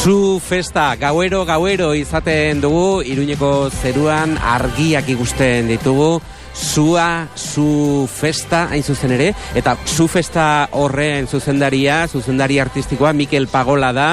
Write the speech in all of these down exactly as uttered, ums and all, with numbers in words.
Zu festa, gauero, gauero izaten dugu, Iruñeko zeruan argiak ikusten ditugu, zua, zu festa, hain zuzen ere, eta zu festa horren zuzendaria, zuzendari artistikoa, Mikel Pagola da,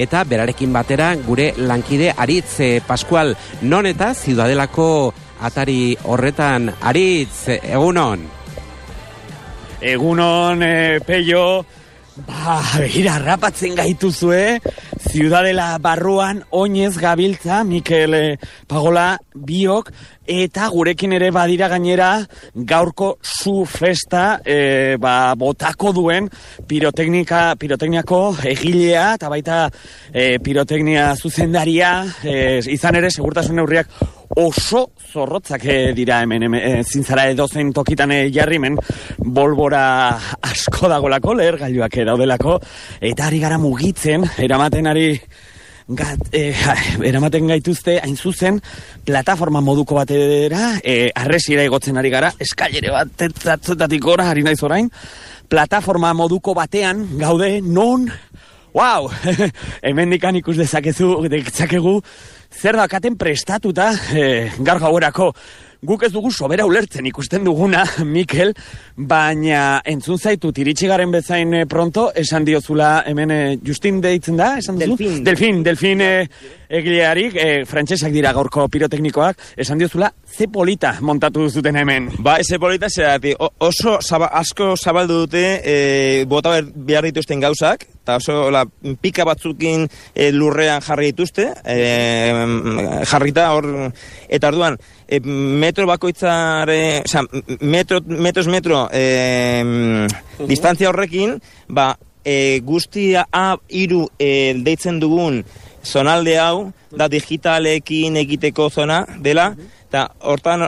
eta berarekin batera gure lankide Aritz eh, Pascual, non eta Ziudadelako atari horretan. Aritz, egunon? Egunon, eh, Peio, ba, begira, rapatzen gaituzue, Ziudadela barruan oinez gabiltza, Mikel eh, Pagola biok, eta gurekin ere badira gainera gaurko zu festa e, ba, botako duen piroteknika, pirotekniako egilea eta baita e, piroteknia zuzendaria, e, izan ere segurtasun neurriak oso zorrotzak e, dira hemen, hemen e, zintzara edozein tokitan e, jarrimen bolbora asko dagolako, leher gailuak daudelako, eta ari gara mugitzen, eramaten ari Gat, eh, eramaten gaituzte hain zuzen plataforma moduko batera, eh, arresira egotzen ari gara, eskailere bat tetzatzetatik gora, ari naiz orain, plataforma moduko batean gaude non, wow, hemen dikan ikus dezakezu, dezakegu, zer dakaten prestatuta eh, gaur gauerako. Guk ez dugu sobera ulertzen ikusten duguna, Mikel, baina entzun zaitut iritsi garen bezain eh, pronto, esan diozula hemen eh, Justin deitzen da, esan duzu? Delfin. Delfin, Delfin eh, egilearik, eh, frantsesak dira gaurko piroteknikoak, esan diozula, ze polita montatu duzuten hemen. Ba, ze polita zerati, oso zaba, asko zabaldu dute e, bota behar dituzten gauzak, eta oso la, pika batzukin e, lurrean jarri dituzte, e, jarrita hor, eta orduan, e, metro bakoitzare, oza, metro, metros metro e, uh-huh. distantzia horrekin, ba, e, guztia A hiru e, deitzen dugun zonalde hau, da digitalekin egiteko zona dela, eta hortan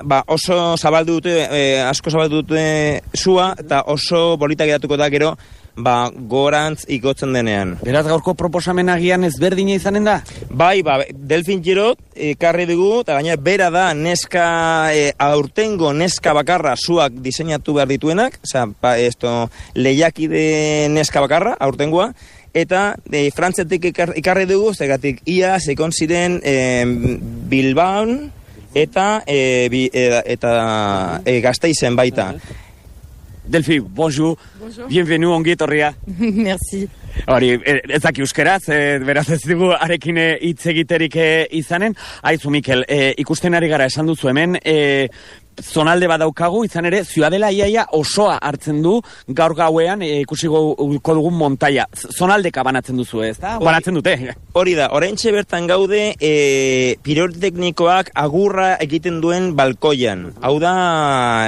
ba, oso zabaldu dute, e, asko zabaldu dute zua, eta oso bolita geratuko da gero, ba, gorantz igotzen denean. Beraz, gaurko proposamen agian ezberdina izanen da? Bai, ba, Delfin Girot ekarri dugu, eta gainera bera da neska, e, aurtengo neska bakarra zuak diseinatu behar dituenak, oza, ba, esto, lehiakide neska bakarra, aurtengoa, eta e, frantzetik ikarri dugu, zegatik ia, zekon ziren e, Bilbaon, eta e, bi, e, eta e, Gasteizen baita. Delfi, bonjour. Bonjour. Bienvenu, ongi etorria. Merci. Hori, ez daki euskeraz, e, beraz ez dugu arekin hitz egiterik e, izanen. Aizu, Mikel, e, ikusten ari gara esan duzu hemen, e, zonalde badaukagu, izan ere, Ziudadela iaia osoa hartzen du, gaur gauean e, ikusiko dugun montaia. Zonaldeka banatzen duzu, ez da? Banatzen dute. Hori da, oraintxe bertan gaude e, piroteknikoak agurra egiten duen balkoian. Hau da,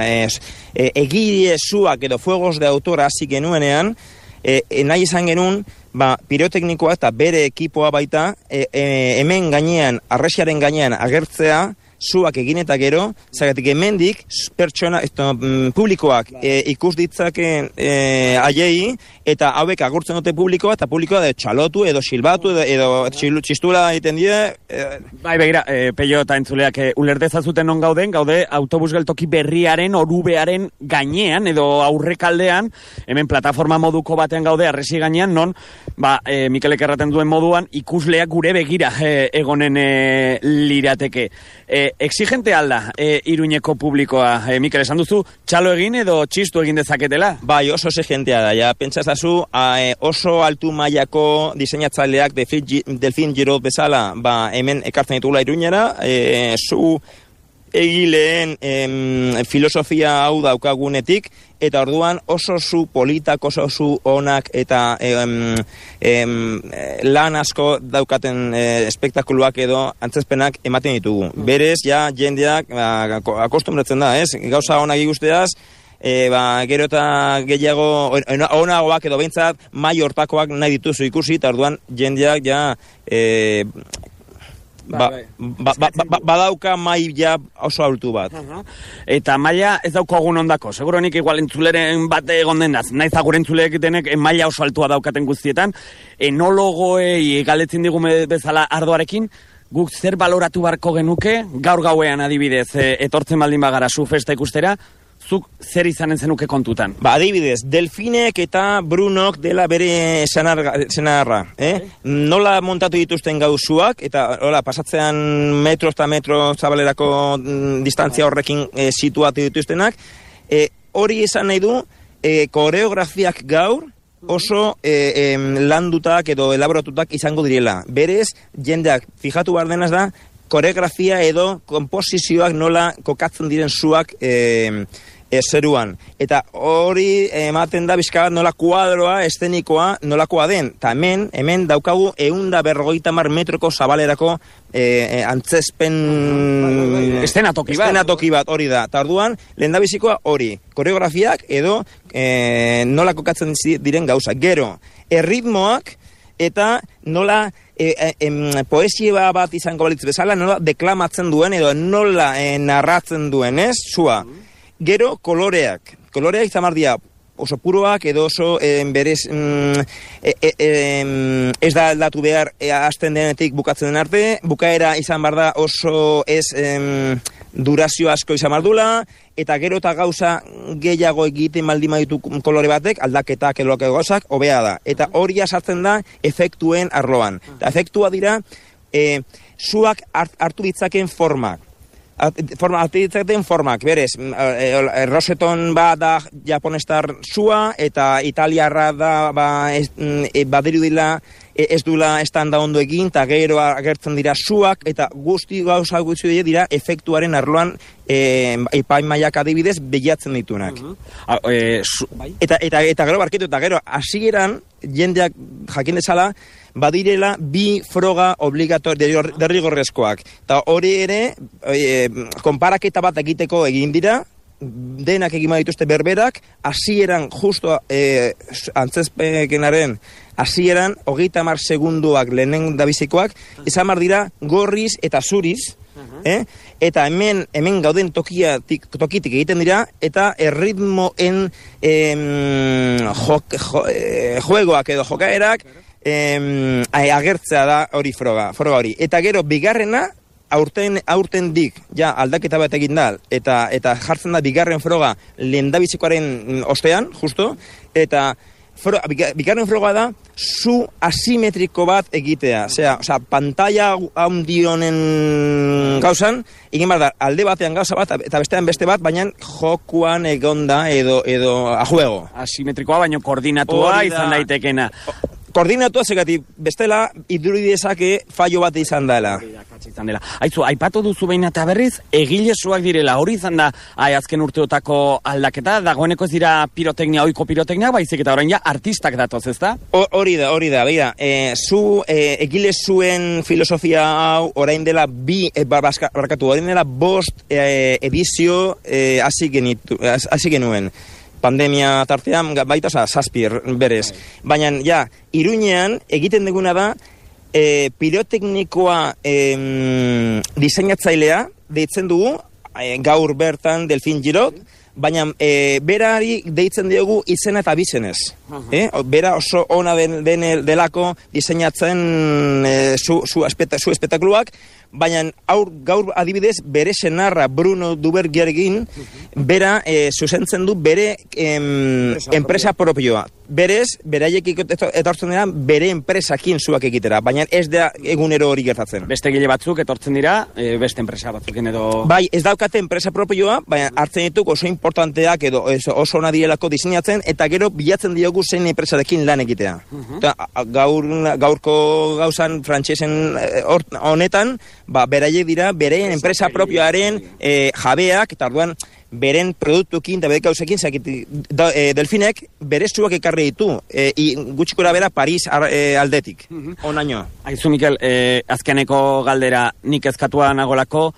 ez, e, egile zuak edo fuegos de autor hasi genuenean, e, e, nahi izan genuen, ba, piroteknikoa eta bere ekipoa baita, e, e, hemen gainean, arresiaren gainean agertzea, zuak egin eta gero, zagatik hemendik pertsona, esto, mm, publikoak e, ikus ditzaken e, aiei, eta hauek agurtzen dute publikoa, eta publikoa de txalotu edo silbatu edo, edo txilu, txistula egiten die. E... Bai, begira, e, Peio eta entzuleak e, ulertezazuten non gauden, gaude autobus geltoki berriaren, orubearen gainean, edo aurrekaldean, hemen plataforma moduko batean gaude, arresi gainean, non, ba, e, Mikelek erraten duen moduan, ikusleak gure begira e, egonen e, lirateke. E, exigente alda e, Iruñeko publikoa, e, Mikel, esan duzu, txalo egin edo txistu egin dezaketela? Bai, oso exigentea da, ja, pentsazazu, a, oso altu mailako diseinatzaileak Delfin Girot bezala, ba, hemen ekartzen ditugula Iruñera, e, zu egileen em, filosofia hau daukagunetik, eta orduan oso zu politak, oso zu onak, eta em, em, lan asko daukaten e, espektakuluak edo antzezpenak ematen ditugu. Berez, ja, jendeak ba, akostumbratzen da, ez? Gauza onak ikusteaz, e, ba, gero eta gehiago onagoak edo behintzat mai hortakoak nahi dituzu ikusi, eta orduan jendeak ja... E, Ba, ba, ba, ba, badauka mai ja oso altu bat. Uh-huh. Eta maila ez daukagun ondako. Seguronik igual entzuleren bat egon denaz. Naiz agure entzuleek denek maila oso altua daukaten guztietan. Enologoei galetzen digu bezala ardoarekin, guk zer baloratu barko genuke, gaur gauean adibidez, e, etortzen baldin bagara zu festa ikustera, zuk zer izanen zenuke kontutan? Ba, adibidez, Delfinek eta Brunok dela bere senarra, eh? Nola montatu dituzten gauzuak, eta hola, pasatzean metro eta metro zabalerako mm, distantzia horrekin eh, situatu dituztenak, eh, hori esan nahi du, eh, koreografiak gaur, oso eh, eh, landutak edo elaboratutak izango direla. Berez, jendeak fijatu behar denaz da, koreografia edo komposizioak nola kokatzen diren zuak eh, eh, zeruan. Eta hori ematen da bizka nola kuadroa, eszenikoa, nolakoa den. Ta hemen, hemen daukagu ehunda berrogeita hamar metroko zabalerako eh, eh, antzespen... Estenatoki bat. Estenatoki bat, hori da. Ta orduan, lehendabizikoa hori. Koreografiak edo eh, nola kokatzen diren gauza. Gero, erritmoak eta nola e, e, em, poesia bat izango balitz bezala, nola deklamatzen duen edo nola e, narratzen duen, ez? Zua. Gero, koloreak. Koloreak izan mardia oso puroak edo oso e, berez mm, e, e, e, ez da aldatu behar e, hasten denetik bukatzen den arte, bukaera izan bar da oso ez em, durazio asko izan bardula, eta gero eta gauza gehiago egiten baldin baditu kolore batek, aldaketak edo gauzak, hobea da. Eta hori sartzen da efektuen arloan. Eta efektua dira, e, zuak hart, hartu ditzaken formak. Forma, artitzaten formak, berez, Roseton ba da japonestar zua, eta italiarra da ba, ez, e, badiru dila ez dula estanda ondo egin, eta gero agertzen dira zuak, eta guzti gauza gutxi dira efektuaren arloan e, epaimaiak adibidez begiatzen ditunak. Uh -huh. e, su... eta, eta, eta gero barketu, eta gero hasieran jendeak jakin dezala, badirela bi froga obligatori derrigorrezkoak. Eta hori ere, e, konparaketa bat egiteko egin dira, denak egin dituzte berberak, hasieran justo e, antzezpekenaren hasieran, hogeita hamar segunduak lehenen dabizikoak, izan bar dira gorriz eta zuriz, eh? Eta hemen hemen gauden tokiatik, tokitik egiten dira, eta erritmoen em, jo, jo, e, juegoak edo jokaerak em, agertzea da hori froga, froga hori. Eta gero, bigarrena, aurten aurten dik, ja, aldaketa bat egin da, eta, eta jartzen da bigarren froga lehendabizikoaren ostean, justo, eta Fro, bigarren froga da, zu asimetriko bat egitea. Osea, osea pantalla handionen gauzan, egin behar da, alde batean gauza bat, eta bestean beste bat, baina jokuan egonda edo, edo a juego. Asimetrikoa, baina koordinatua izan daitekena. Koordinatua zegati, bestela, idurudezake fallo bat izan dela. Aizu, aipatu duzu behin eta berriz, egilesuak direla, hori izan da, ai, azken urteotako aldaketa, dagoeneko ez dira piroteknia, oiko piroteknia, baizik eta orain ja artistak datoz, ez da? Hori da, hori da, beira, e, zu e, egilesuen filosofia hau, orain dela bi, e, barkatu, orain dela bost e, edizio e, hasi genitu, hasi genuen. Pandemia tartean, baita, oza, zazpir, berez. Baina, ja, Iruñean egiten duguna da, e, piroteknikoa e, diseinatzailea, deitzen dugu, e, gaur bertan Delfin Girot, baina e, berari deitzen diogu izena eta bizenez. Uh-huh. eh? Bera oso ona den, den delako diseinatzen e, zu, zu, espeta, zu espektakuluak, baina aur, gaur adibidez bere senarra Bruno Dubergergin bera e, zuzentzen du bere em, enpresa propioa. Berez, beraiek etortzen dira bere enpresakin zuak egitera, baina ez da egunero hori gertatzen. Beste gile batzuk etortzen dira, e, beste enpresa batzuken edo... Bai, ez daukate enpresa propioa, baina hartzen dituk oso importanteak edo oso ona direlako diseinatzen, eta gero bilatzen diogu zein enpresarekin lan egitea. Uh-huh. Eta, gaur, gaurko gauzan frantsesen honetan, ba, beraiek dira bere enpresa propioaren e, jabeak, eta orduan beren produktukin eta bere gauzekin da, e, Delfinek bere zuak ekarri ditu, e, gutxikora bera Paris ar, e, aldetik, uh-huh. Onaino. Aizu, Mikel, e, azkeneko galdera nik ezkatua nagolako,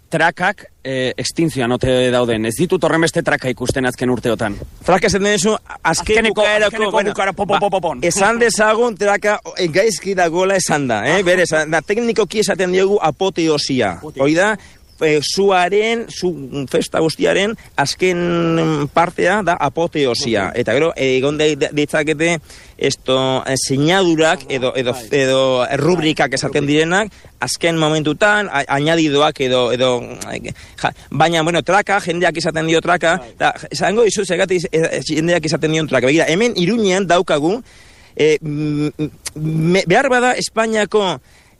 trakak e, extinzioan ote dauden. Ez ditut horren beste traka ikusten azken urteotan. Traka esan denezu, azken bukaerako, bueno, bukara, popo, popo, ba, esan dezagun traka gaizki dagoela esan da. Eh? Bere, esan, da teknikoki esaten diogu apoteosia. Hoi da, e, zuaren, zu festa guztiaren, azken partea da apoteosia. Eta gero, egon ditzakete, esto, sinadurak edo, edo, edo rubrikak esaten direnak, azken momentutan, añadidoak edo, edo ja, baina, bueno, traka, jendeak izaten dio traka, da, zango izu, segati jendeak izaten dio traka. Begira, hemen Iruñean daukagu, e, me, behar bada Espainiako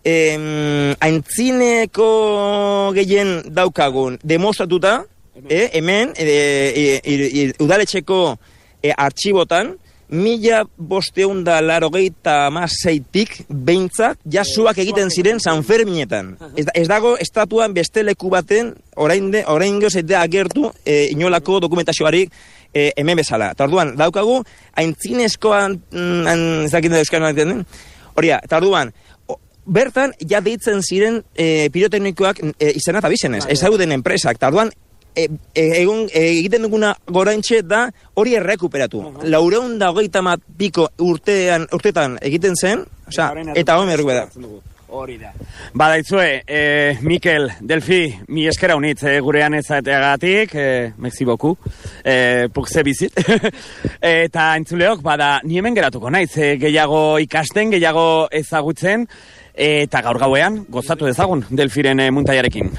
eh, aintzineko gehien daukagun demostratuta, eh, hemen, eh, e, e, udaletxeko eh, artxibotan, mila bosteunda larogeita amaseitik behintzat jasuak egiten ziren San Ferminetan. Ez, ez dago estatuan beste leku baten orainde, oraingo zeitea agertu e, inolako dokumentazioarik e, hemen bezala. Tarduan, daukagu, aintzinezkoan, ez dakit da euskara den, horia, tarduan, bertan, ja deitzen ziren e, piroteknikoak e, izena eta bizenez, ez dauden enpresak. Tarduan, E, e, egun, e, egiten duguna goraintxe da hori errekuperatu. Uh -huh. Laureun da hogeita mat piko urtean, urtetan egiten zen, oza, eta hori errekuperatu. Hori da. Badaitzue, eh, Mikel, Delfi, mi eskera unitz eh, gurean ezateagatik, eh, merci beaucoup, eh, pour ze bizit. Eta entzuleok, bada, ni hemen geratuko naiz, eh, gehiago ikasten, gehiago ezagutzen, eta gaur gauean, gozatu dezagun Delfiren eh, muntaiarekin.